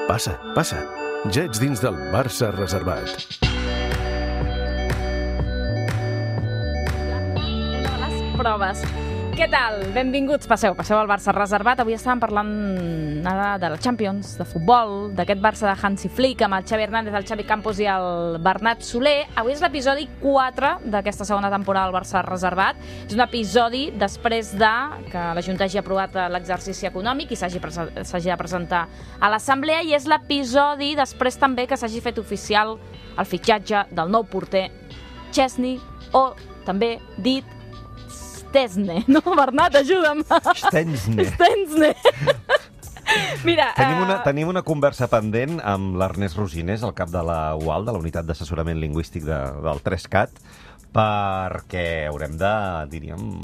Passa, passa. Ja ets dins del Barça reservat. Una de les proves. Què tal? Benvinguts, passeu al Barça reservat. Avui estàvem parlant de la Champions, de futbol, d'aquest Barça de Hansi Flick amb el Xavi Hernández, el Xavi Campos i el Bernat Soler. Avui és l'episodi 4 d'aquesta segona temporada del Barça reservat. És un episodi després de que la Junta hagi aprovat l'exercici econòmic i s'hagi de presentar a l'Assemblea, i és l'episodi després també que s'hagi fet oficial el fitxatge del nou porter Szczesny, o també dit Szczesny. No, Bernat, ajuda'm. Szczesny. Mira, Tenim una conversa pendent amb l'Ernest Rosinés, el cap de la UAL, de la Unitat d'Assessorament Lingüístic del 3CAT, perquè haurem de, diríem,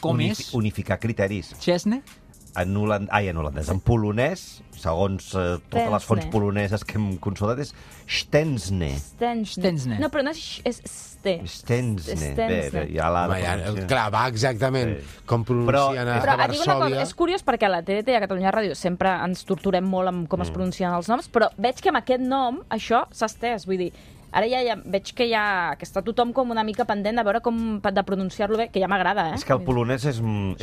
unificar criteris. Szczesny? En holandès. En polonès, segons totes les fonts poloneses que hem consultat, és Szczesny. No, però no és Szczesny. Clar, va exactament com pronuncien a Varsòvia. Et dic una cosa, és curiós perquè a la TDT i a Catalunya Ràdio sempre ens torturem molt amb com es pronuncien els noms, però veig que amb aquest nom això s'ha estès, vull dir, ara ja veig que està tothom com una mica pendent de veure com de pronunciar-lo bé, que ja m'agrada, És que el polonès és un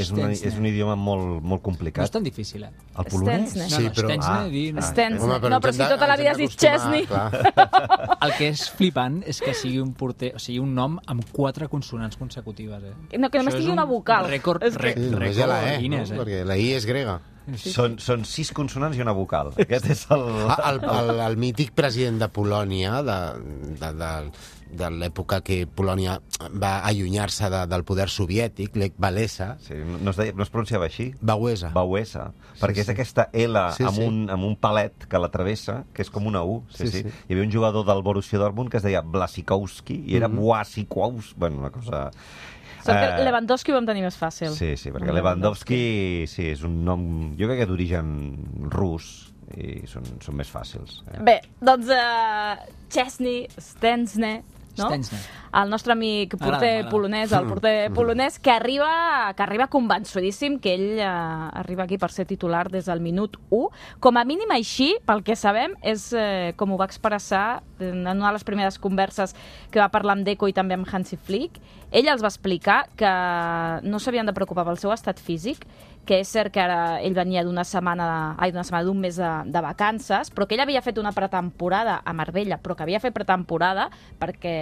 idioma molt complicat. No és tan difícil, eh? El polonès? Sí, però... Szczesny. No, però si tota la vida has dit Szczesny. El que és flipant és que sigui un porter, o sigui, un nom amb 4 consonants consecutives, eh? No, que només tingui una vocal. Rècord Només hi ha la E, Guinness, perquè la I és grega. Són 6 consonants i una vocal. Aquest és El mític president de Polònia, de l'època que Polònia va allunyar-se del poder soviètic, Lech Walesa. Sí, no es pronunciava així? Wałęsa. Perquè és aquesta L amb un palet que la travessa, que és com una U. Sí. Hi havia un jugador del Borussia Dortmund que es deia Błasikowski i era Błasikowski. Bueno, una cosa... Sort que Lewandowski ho vam tenir més fàcil. Sí, perquè Lewandowski és un nom, jo crec que d'origen rus, i són més fàcils. Bé, doncs Szczesny, no? El nostre amic porter polonès, el porter polonès, que arriba convençudíssim que ell arriba aquí per ser titular des del minut 1. Com a mínim així, pel que sabem, és com ho va expressar en una de les primeres converses que va parlar amb Deco i també amb Hansi Flick. Ell els va explicar que no s'havien de preocupar pel seu estat físic, que és cert que ara ell venia d'un mes de vacances, però que ell havia fet una pretemporada a Marbella, però que havia fet pretemporada perquè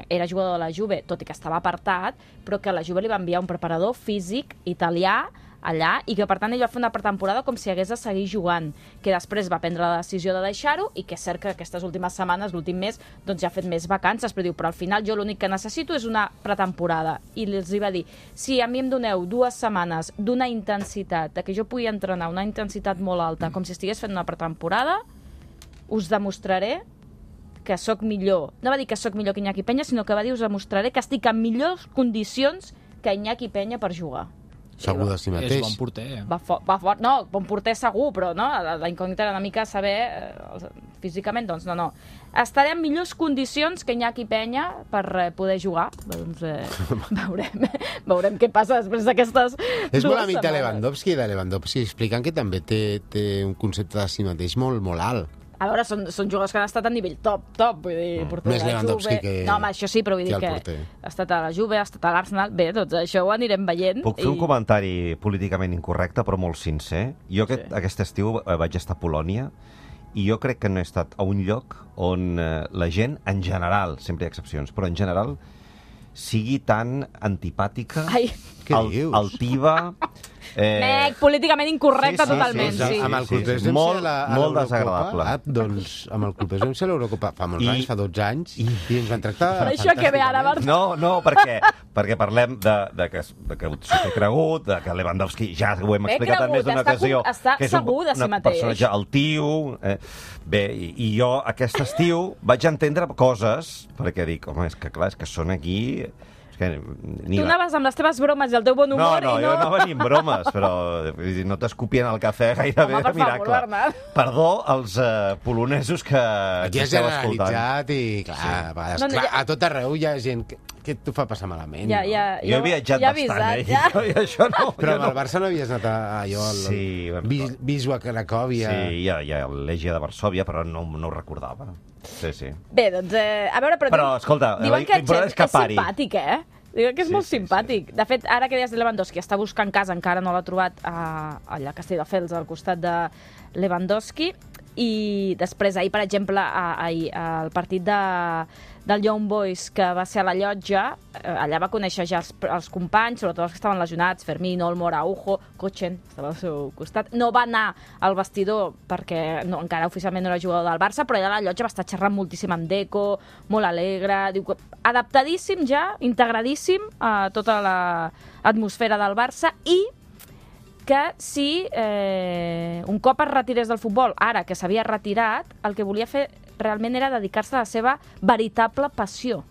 era jugador de la Juve, tot i que estava apartat, però que la Juve li va enviar un preparador físic italià allà, i que per tant ell va fer una pretemporada com si hagués de seguir jugant, que després va prendre la decisió de deixar-ho, i que és cert que aquestes últimes setmanes, l'últim mes, doncs ja ha fet més vacances, però diu, però al final jo l'únic que necessito és una pretemporada. I els va dir, si a mi em doneu 2 setmanes d'una intensitat, de que jo pugui entrenar una intensitat molt alta, com si estigués fent una pretemporada, us demostraré que sóc millor. No va dir que sóc millor que Iñaki Peña, sinó que va dir, us demostraré que estic en millors condicions que Iñaki Peña per jugar. Segur de si mateix. És bon porter, eh? Va fort. No, bon porter segur, però no, la incògnita era una mica saber físicament, doncs no. Estaré en millors condicions que Iñaki Peña per poder jugar. Doncs veurem què passa després d'aquestes 2 setmanes. És molt amic de Lewandowski expliquen que també té un concepte de si mateix molt alt. A veure, són jugadors que han estat a nivell top, vull dir, porter més de la Lewandowski Juve. que... No, home, això sí, però vull dir que ha estat a la Juve, ha estat a l'Arsenal. Bé, doncs això ho anirem veient. Puc fer un comentari políticament incorrecte, però molt sincer? Jo aquest estiu vaig estar a Polònia, i jo crec que no he estat a un lloc on la gent, en general, sempre hi ha excepcions, però en general, sigui tan antipàtica, altiva... políticament incorrecte totalment. Sí. Amb el Club molt desagradable. Doncs amb el Club de l'Eurocopa fa molts anys, fa 12 anys, i ens van tractar per això que ve ara, No, perquè parlem de que s'ho té cregut, de que Lewandowski, ja ho hem explicat en més d'una ocasió, que és un personatge altiu. Bé, i jo aquest estiu vaig entendre coses, perquè dic, home, és que clar, és que són aquí... Tu anaves amb les teves bromes i el teu bon humor. No, jo anava ni amb bromes, però no t'escupien el cafè gairebé de miracle. Perdó als polonesos que aquí has generalitzat i, clar, a tot arreu hi ha gent què t'ho fa passar malament? Jo he viatjat bastant, i això no... Però amb el Barça no havies anat a allò, Wisła Cracòvia... Sí, hi ha l'Legia de Varsòvia, però no ho recordava. Sí. Bé, doncs, a veure... Però, escolta, l'important és que pari. És simpàtic, Diuen que és molt simpàtic. De fet, ara que deies de Lewandowski, està buscant casa, encara no l'ha trobat allà a Castelldefels, al costat de Lewandowski, i després, ahir, per exemple, al partit del Young Boys, que va ser a la Llotja, allà va conèixer ja els companys, sobretot els que estaven lesionats, Fermín, Olmo, Araujo, Kochen, estava al seu costat. No va anar al vestidor perquè encara oficialment no era jugador del Barça, però allà a la Llotja va estar xerrant moltíssim amb Deco, molt alegre, diu que adaptadíssim ja, integradíssim a tota l'atmosfera del Barça, i que si un cop es retirés del futbol, ara que s'havia retirat, el que volia fer realment era dedicar-se a la seva veritable passió,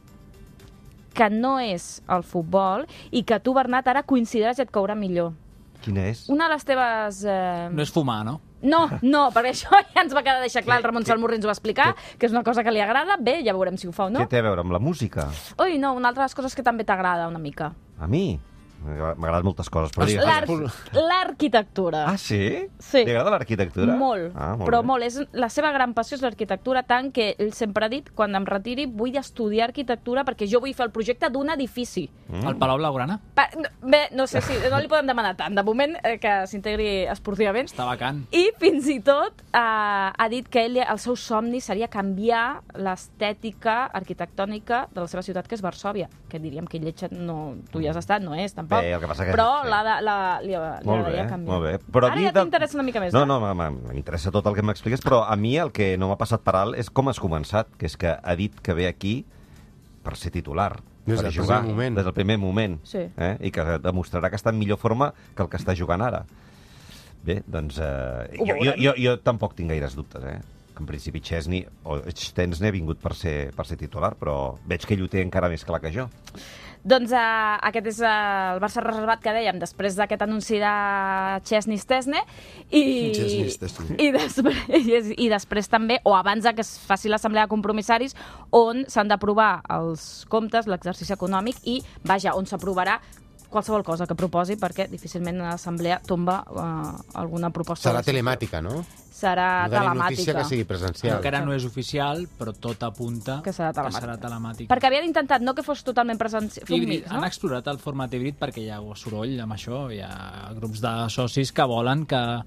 que no és el futbol, i que tu, Bernat, ara consideres i et caurà millor. Quina és? Una de les teves... No és fumar, no? No, perquè això ja ens va quedar deixar clar, el Ramon Salmurri ens ho va explicar, que és una cosa que li agrada. Bé, ja veurem si ho fa o no. Què té a veure amb la música? Ui, no, una altra de les coses que també t'agrada una mica. A mi? M'agraden moltes coses, però l'arquitectura. Ah, sí? Sí. Li agrada l'arquitectura? Molt, però molt. La seva gran passió és l'arquitectura, tant que ell sempre ha dit, quan em retiri vull estudiar arquitectura perquè jo vull fer el projecte d'un edifici. El Palau Blaugrana? Bé, no sé si no li podem demanar tant. De moment, que s'integri esportivament. Està vacant. I fins i tot ha dit que ell, el seu somni seria canviar l'estètica arquitectònica de la seva ciutat, que és Varsòvia, que diríem que lletja, no, tu hi has estat, no és, tampoc. Bé, el que passa que... Però li agradaria canviar. Molt bé. Però ara ja t'interessa una mica més. No, m'interessa tot el que m'expliques, però a mi el que no m'ha passat per alt és com has començat, que és que ha dit que ve aquí per ser titular, per jugar des del primer moment, i que demostrarà que està en millor forma que el que està jugant ara. Bé, doncs... Jo tampoc tinc gaires dubtes, que en principi Szczęsny ha vingut per ser titular, però veig que ell ho té encara més clar que jo. Doncs aquest és el Barça reservat que dèiem després d'aquest anunci de Szczęsny i després també, o abans que es faci l'assemblea de compromissaris, on s'han d'aprovar els comptes, l'exercici econòmic, i vaja, on s'aprovarà qualsevol cosa que proposi, perquè difícilment l'assemblea tomba alguna proposta. Serà telemàtica, no? Serà telemàtica. No notícia que sigui presencial. Encara no és oficial, però tot apunta que serà telemàtica. Perquè havien intentat no que fos totalment presencial. Han explorat el format híbrid perquè hi ha soroll amb això, hi ha grups de socis que volen que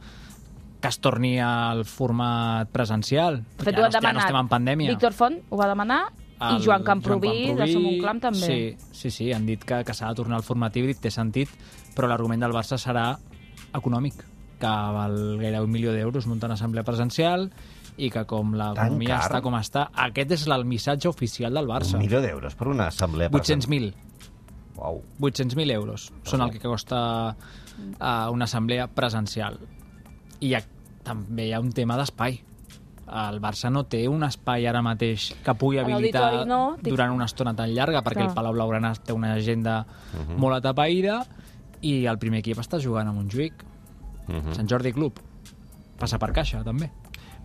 es torni al format presencial. De fet, ho han demanat. Ja no estem en pandèmia. Víctor Font ho va demanar, i Joan Camproví de Som un Clam també. Sí, han dit que s'ha de tornar al format híbrid, té sentit, però l'argument del Barça serà econòmic, que val gairebé 1 milió d'euros muntar una assemblea presencial i que com l'economia està com està, aquest és el missatge oficial del Barça. 1 milió d'euros per una assemblea presencial? 800.000. Uau. 800.000 euros són el que costa una assemblea presencial. I també hi ha un tema d'espai. El Barça no té un espai ara mateix que pugui habilitar durant una estona tan llarga, perquè el Palau Blaugrana té una agenda molt atapeïda i el primer equip està jugant a Montjuïc. Sant Jordi Club. Passa per caixa, també.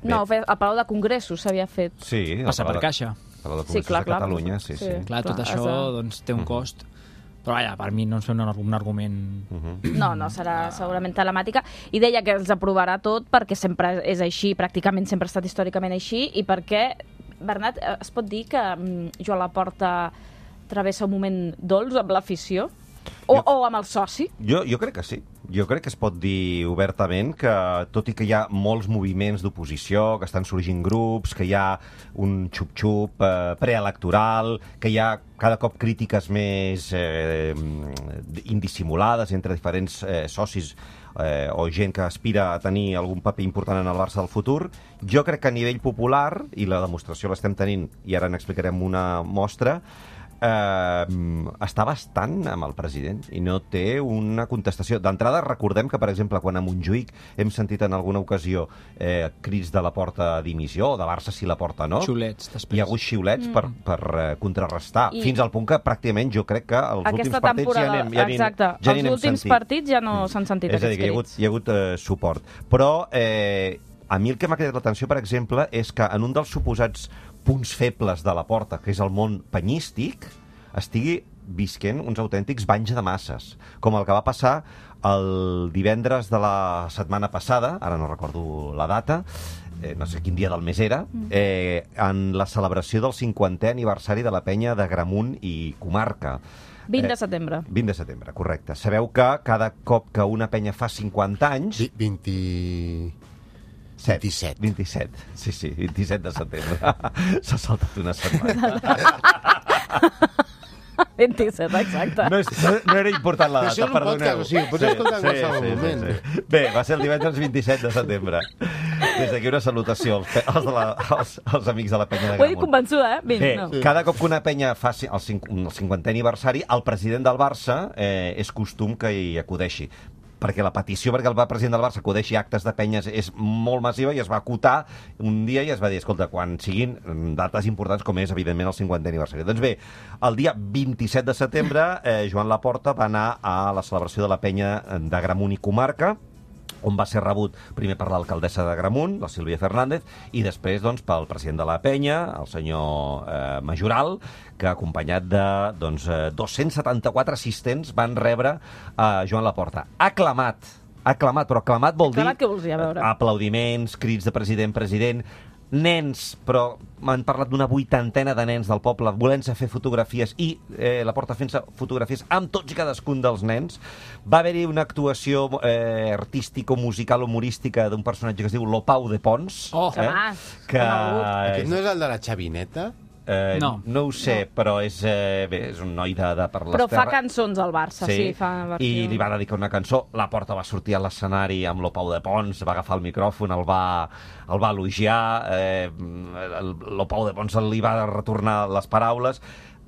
No, el Palau de Congressos s'havia fet. Sí. Passa per caixa. El Palau de Congressos de Catalunya, sí. Clar, tot això té un cost. Però vaja, per mi no és un argument... No, serà segurament telemàtica. I deia que els aprovarà tot perquè sempre és així, pràcticament sempre ha estat històricament així, i perquè, Bernat, es pot dir que Joan Laporta travessa un moment dolç amb l'afició? O amb el soci? Jo crec que sí. Jo crec que es pot dir obertament que, tot i que hi ha molts moviments d'oposició, que estan sorgint grups, que hi ha un xup-xup preelectoral, que hi ha cada cop crítiques més indissimulades entre diferents socis o gent que aspira a tenir algun paper important en el Barça del futur, jo crec que a nivell popular, i la demostració l'estem tenint, i ara n'explicarem una mostra, està bastant amb el president i no té una contestació. D'entrada, recordem que, per exemple, quan a Montjuïc hem sentit en alguna ocasió crits de Laporta a dimissió, o de Barça si Laporta no, xiulets, després. Hi ha hagut xiulets per contrarrestar, fins al punt que pràcticament jo crec que els últims partits els últims partits ja no s'han sentit aquests crits. És a dir, que hi ha hagut suport. Però a mi el que m'ha cridat l'atenció, per exemple, és que en un dels suposats punts febles de Laporta, que és el món penyístic, estigui visquent uns autèntics banys de masses, com el que va passar el divendres de la setmana passada, ara no recordo la data, no sé quin dia del mes era, en la celebració del 50è aniversari de la penya d'Agramunt i Comarca. 20 de setembre. 20 de setembre, correcte. Sabeu que cada cop que una penya fa 50 anys... 27. Sí, 27 de setembre. S'ha saltat una setmana. 27, exacte. No era important la data, perdoneu. Sí, pots escoltar en qualsevol moment. Bé, va ser el divendres 27 de setembre. Des d'aquí una salutació als amics de la penya de Gramunt. Ho he dit convençuda, Bé, cada cop que una penya fa el 50è aniversari, el president del Barça és costum que hi acudeixi, perquè la petició perquè el president del Barça acudeixi a actes de penyes és molt massiva i es va acotar un dia i es va dir, escolta, quan siguin dates importants com és, evidentment, el 50è aniversari. Doncs bé, el dia 27 de setembre, Joan Laporta va anar a la celebració de la penya d'Agramunt i Comarca, on va ser rebut primer per l'alcaldessa d'Agramunt, la Sílvia Fernández, i després doncs, pel president de la penya, el senyor Majoral, que acompanyat de 274 assistents van rebre Joan Laporta. Aclamat, però aclamat vol dir... Aclamat què vols dir, a veure? Aplaudiments, crits de president, nens, però m'han parlat d'una 80ena de nens del poble volent-se fer fotografies i Laporta fent-se fotografies amb tots i cadascun dels nens. Va haver-hi una actuació artístico-musical humorística d'un personatge que es diu Lopau de Pons. Aquest no és el de la xavineta? No ho sé, però és un noi de per les terres. Però fa terres. cançons al Barça, sí, fa versió. I li va dedicar una cançó. Laporta va sortir a l'escenari amb Lopau de Pons, va agafar el micròfon, el va elogiar, Lopau de Pons li va retornar les paraules.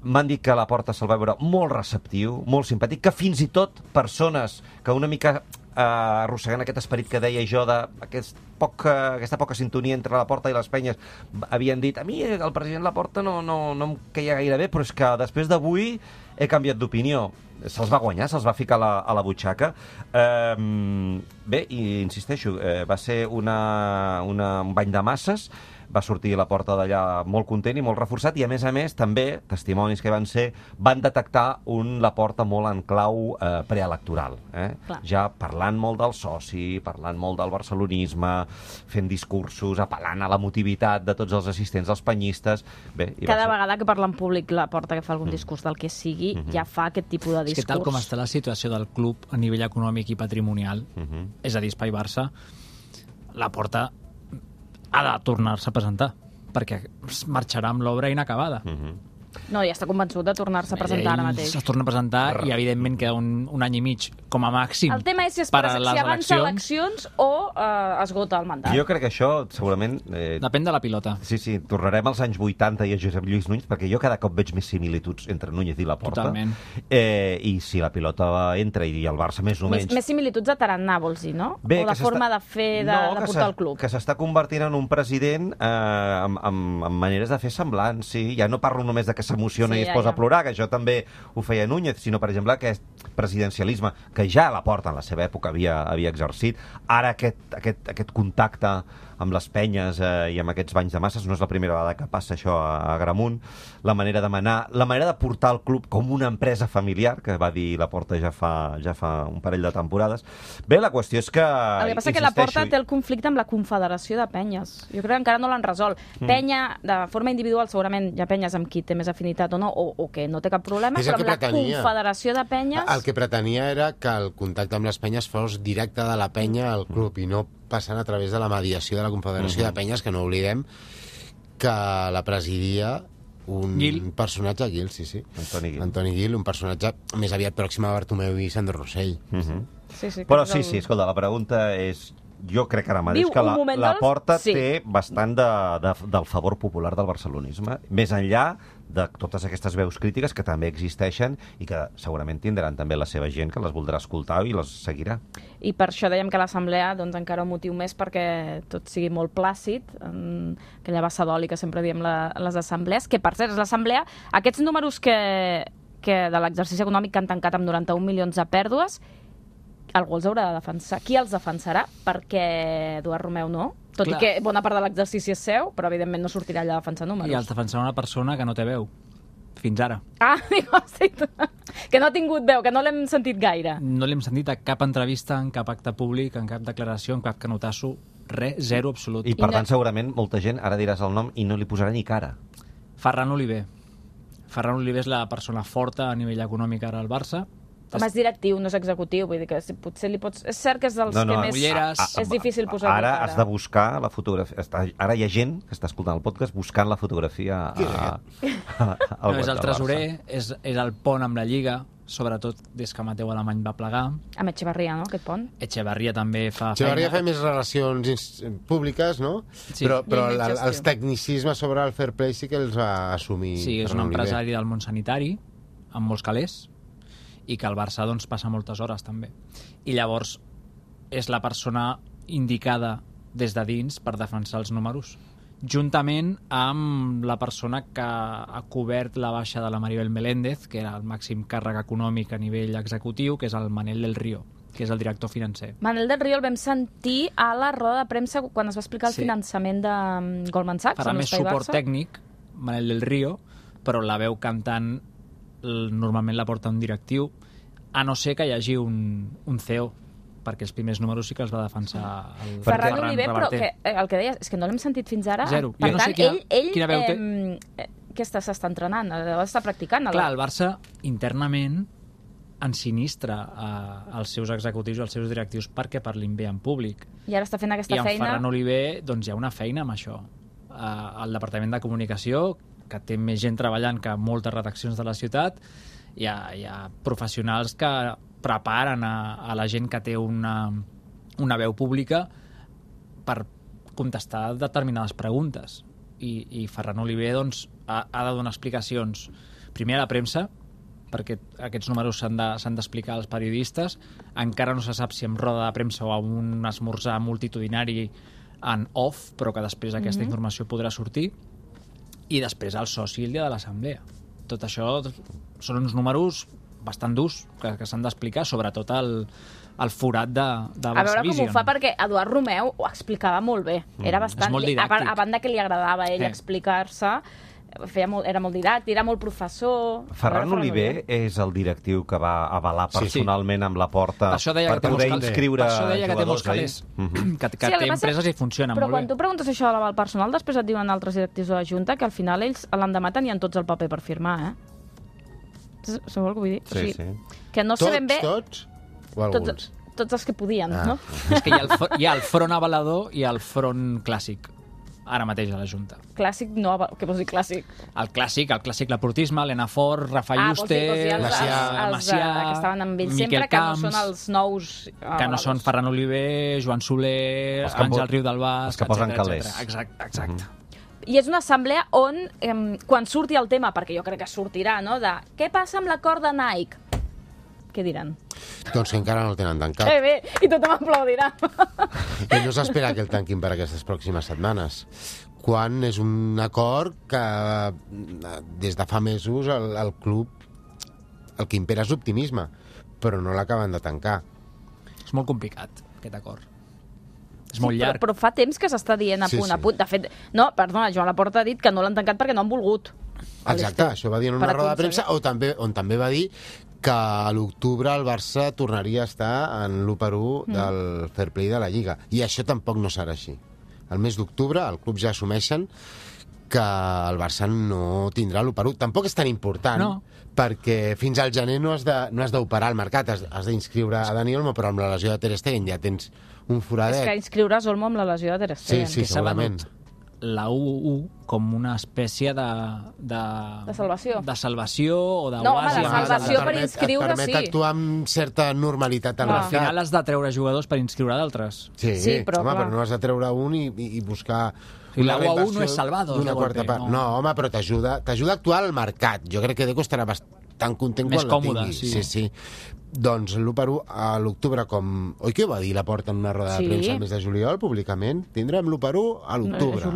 M'han dit que Laporta se'l va veure molt receptiu, molt simpàtic, que fins i tot persones que una mica arrossegant aquest esperit que deia jo d'aquesta poca sintonia entre Laporta i les penyes havien dit, a mi el president Laporta no em queia gaire bé, però és que després d'avui he canviat d'opinió. Se'ls va guanyar, se'ls va ficar a la butxaca. Bé, i insisteixo, va ser un bany de masses, va sortir a la porta d'allà molt content i molt reforçat, i a més, també, testimonis que van detectar un Laporta molt en clau preelectoral. Ja parlant molt del soci, parlant molt del barcelonisme, fent discursos, apel·lant a l'emotivitat de tots els assistents, els penyistes... Cada vegada que parla en públic Laporta, que fa algun discurs del que sigui, ja fa aquest tipus de discurs. És que tal com està la situació del club a nivell econòmic i patrimonial, és a dir, Espai Barça, Laporta ha de tornar-se a presentar, perquè marxarà amb l'obra inacabada. No, ja està convençut de tornar-se a presentar ara mateix. Es torna a presentar i, evidentment, queda un any i mig, com a màxim, el tema és si avança eleccions o esgota el mandat. Jo crec que això, segurament... Depèn de la pilota. Sí, tornarem als anys 80 i a Josep Lluís Núñez, perquè jo cada cop veig més similituds entre Núñez i Laporta. Totalment. I si la pilota entra i el Barça més o menys... Més similituds de tarannà, vols dir, no? O de forma de fer, de portar el club. Que s'està convertint en un president amb maneres de fer semblants, sí. Ja no parlo només de que s'emociona i es posa a plorar, que això també ho feia Núñez, sinó, per exemple, aquest presidencialisme que ja Laporta en la seva època havia exercit. Ara aquest contacte amb les penyes i amb aquests banys de masses, no és la primera vegada que passa això a Agramunt, la manera de manar, la manera de portar el club com una empresa familiar, que va dir Laporta ja fa un parell de temporades. Bé, la qüestió és que... El que passa és que Laporta té el conflicte amb la Confederació de Penyes. Jo crec que encara no l'han resolt. Penya, de forma individual, segurament hi ha penyes amb qui té més afinitat o no, o que no té cap problema, però amb la Confederació de Penyes... El que pretenia era que el contacte amb les penyes fos directe de la penya al club i no passant a través de la mediació de la Confederació de Penyes, que no oblidem que la presidia un personatge, Guil, sí. Antoni Guil, un personatge més aviat pròxim a Bartomeu i Sandro Rossell. Però sí, escolta, la pregunta és... Jo crec ara mateix que Laporta té bastant del favor popular del barcelonisme, més enllà de totes aquestes veus crítiques que també existeixen i que segurament tindran també la seva gent que les voldrà escoltar i les seguirà. I per això dèiem que l'assemblea, doncs, encara un motiu més perquè tot sigui molt plàcid, aquella bassa d'oli que sempre diem les assemblees, que per cert és l'assemblea, aquests números que de l'exercici econòmic que han tancat amb 91 milions de pèrdues, algú els haurà de defensar. Qui els defensarà? Perquè Eduard Romeu no. Tot i que bona part de l'exercici és seu, però evidentment no sortirà allà a defensar números. I els defensarà una persona que no té veu. Fins ara. Que no ha tingut veu, que no l'hem sentit gaire. No l'hem sentit a cap entrevista, en cap acte públic, en cap declaració, en cap canotasso, res, zero absolut. I per tant, segurament, molta gent, ara diràs el nom i no li posarà ni cara. Ferran Oliver. Ferran Oliver és la persona forta a nivell econòmic ara al Barça. Home, és directiu, no és executiu, vull dir que potser li pots... És cert que és dels que més... És difícil posar-li cara. Ara has de buscar la fotografia... Ara hi ha gent que està escoltant el podcast buscant la fotografia no, és el tresorer, és el pont amb la Lliga, sobretot des que Mateu Alemany va plegar. Amb Echevarria, no?, aquest pont. Echevarria també fa Echevarria fa més relacions públiques, no? Sí. Però els tecnicismes sobre el fair play sí que els va assumir. Sí, és un empresari del món sanitari, amb molts calés, i que al Barça doncs, passa moltes hores també. I llavors és la persona indicada des de dins per defensar els números, juntament amb la persona que ha cobert la baixa de la Maribel Meléndez, que era el màxim càrrec econòmic a nivell executiu, que és el Manel del Río, que és el director financer. Manel del Río el vam sentir a la roda de premsa quan es va explicar el finançament de Goldman Sachs. Farà més suport tècnic, Manel del Río, però la veu cantant normalment la porta un directiu, a no ser que hi hagi un CEO, perquè els primers números sí que els va defensar el Ferran Oliver, però el que deies és que no l'hem sentit fins ara. Zero. Per tant, quina veu té? Què s'està entrenant? Està practicant? Clar, el Barça internament ensinistra als seus executius i als seus directius perquè parlin bé en públic. I ara està fent aquesta feina. I amb Ferran Oliver doncs, hi ha una feina amb això. Al Departament de Comunicació, que té més gent treballant que moltes redaccions de la ciutat, hi ha professionals que preparen a la gent que té una veu pública per contestar determinades preguntes. I Ferran Oliver doncs, ha de donar explicacions primer a la premsa, perquè aquests números s'han d'explicar als periodistes. Encara no se sap si en roda de premsa o en un esmorzar multitudinari en off, però que després aquesta informació podrà sortir. I després el soci el dia de l'assemblea. Tot això són uns números bastant durs que s'han d'explicar, sobretot el forat de Barça Vision. A veure com ho fa, perquè Eduard Romeu ho explicava molt bé. Era bastant... És molt didàctic. A banda que li agradava a ell explicar-se, era molt didàctic, era molt professor... Ferran Oliver és el directiu que va avalar personalment amb la porta per poder inscriure jugadors. Per això deia que té molts calés, que té empreses i funcionen molt bé. Però quan tu preguntes això de l'aval personal, després et diuen altres directius de la Junta que al final ells l'endemà tenien tots el paper per firmar, Sabeu el que vull dir? Sí. Que no sabem bé... Tots? O alguns? Tots els que podien, no? És que hi ha el front avalador i el front clàssic, ara mateix a la Junta. Clàssic, no, què vols dir clàssic? El clàssic Laportisme, l'Enafort, Rafa Juste, Macià, que estaven amb ells sempre, que no són els nous... Que no són Ferran Oliver, Joan Soler, Àngel Riu del Bas... Els que posen calés. Exacte. I és una assemblea on, quan surti el tema, perquè jo crec que sortirà, no?, de què passa amb l'acord de Nike? Què diran? Doncs que encara no el tenen tancat. Bé, i tothom aplaudirà. I no s'espera que el tanquin per aquestes pròximes setmanes. Quan és un acord que des de fa mesos el club el que impera és l'optimisme, però no l'acaben de tancar. És molt complicat, aquest acord. És molt llarg. Però fa temps que s'està dient a punt. De fet, no, perdona, Joan Laporta ha dit que no l'han tancat perquè no han volgut. Exacte, això va dir en una roda de premsa, on també va dir que a l'octubre el Barça tornaria a estar en l'1-1 del fair play de la Lliga. I això tampoc no serà així. El mes d'octubre el club ja assumeixen que el Barça no tindrà l'1-1. Tampoc és tan important, perquè fins al gener no has d'operar al mercat, has d'inscriure a Dani Olmo, però amb la lesió de Ter Stegen ja tens un foradet. És que inscriuràs Olmo amb la lesió de Ter Stegen. Sí, segurament. La U1 com una espècie de salvació. De salvació o d'oasi. No, home, de salvació per inscriure, sí. Et permet actuar amb certa normalitat al mercat. Al final has de treure jugadors per inscriure d'altres. Sí, però no has de treure un i buscar... La U1 no és salvador. No, home, però t'ajuda a actuar al mercat. Jo crec que Deco estarà bastant content quan la tingui. Sí. Doncs l'1-1 a l'octubre, com... Oi que ho va dir Laporta en una roda de premsa al mes de juliol, públicament? Tindrem l'1-1 a l'octubre.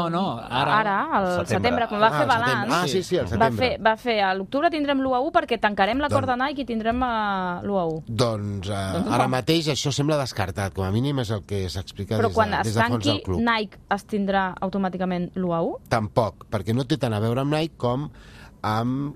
No, ara, al setembre, quan va fer balanç. Sí, al setembre. Va fer a l'octubre tindrem l'1-1 perquè tancarem l'acord de Nike i tindrem l'1-1. Doncs ara mateix això sembla descartat, com a mínim és el que s'explica des de fons del club. Però quan es tanqui Nike es tindrà automàticament l'1-1? Tampoc, perquè no té tant a veure amb Nike com amb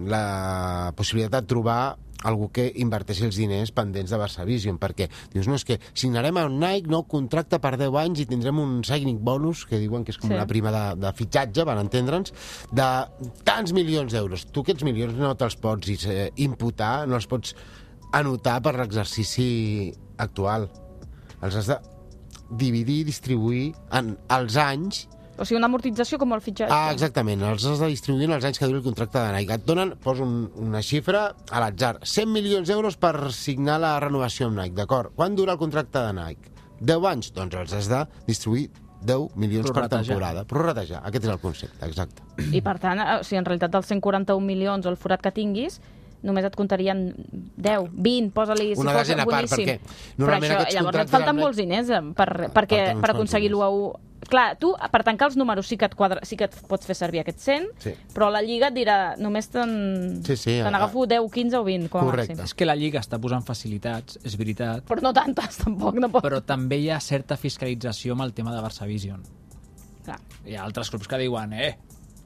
la possibilitat de trobar algú que inverteixi els diners pendents de Barça Vision, perquè dius, no, és que signarem amb Nike nou contracte per 10 anys i tindrem un signing bonus, que diuen que és com una prima de fitxatge, van entendre'ns, de tants milions d'euros. Tu aquests milions no te'ls pots imputar, no els pots anotar per l'exercici actual. Els has de dividir i distribuir en els anys. O sigui, una amortització com el fitxatge. Exactament, els has de distribuir en els anys que duri el contracte de Nike. Et donen, poso una xifra a l'atzar, 100 milions d'euros per signar la renovació amb Nike, d'acord? Quan dura el contracte de Nike? 10 anys? Doncs els has de distribuir 10 milions per temporada. Prorratejar, aquest és el concepte, exacte. I per tant, si en realitat dels 141 milions o el forat que tinguis, només et comptarien 10, 20, posa-li si una fos desena part, boníssim. perquè normalment aquests llavors et falten molts diners per aconseguir l'1-1. Clar, tu, per tancar els números sí que et pots fer servir aquests 100, però la Lliga et dirà, només t'agafo 10, 15 o 20, com a màxim. És que la Lliga està posant facilitats, és veritat. Però no tantes, tampoc. No pot. Però també hi ha certa fiscalització amb el tema de Barça Vision. Clar. Hi ha altres clubs que diuen,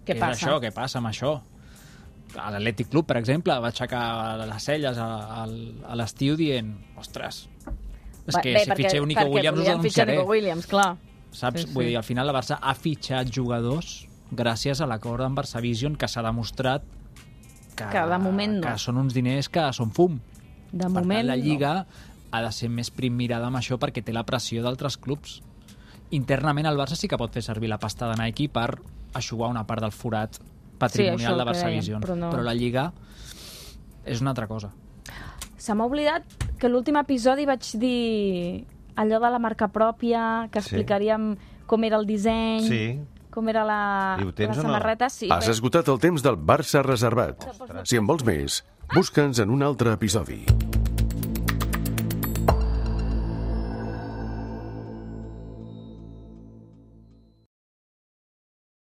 què passa? Això? Què passa amb això? A l'Atlètic Club, per exemple, va aixecar les celles a l'estiu dient, ostres, és que si fitxeu Nico Williams us denunciaré. Nico Williams, clar. Saps? Vull dir, al final la Barça ha fitxat jugadors gràcies a l'acord amb Barça Vision, que s'ha demostrat que de moment no. Que són uns diners que són fum. De moment no. La Lliga ha de ser més primmirada amb això perquè té la pressió d'altres clubs. Internament el Barça sí que pot fer servir la pasta de Nike per eixugar una part del forat patrimonial de Barça Vision. Però la Lliga és una altra cosa. Se m'ha oblidat que l'últim episodi vaig dir allò de la marca pròpia, que explicaríem com era el disseny, com era la samarreta. Sí, has esgotat el temps del Barça reservat. Si en vols més, busca'ns en un altre episodi.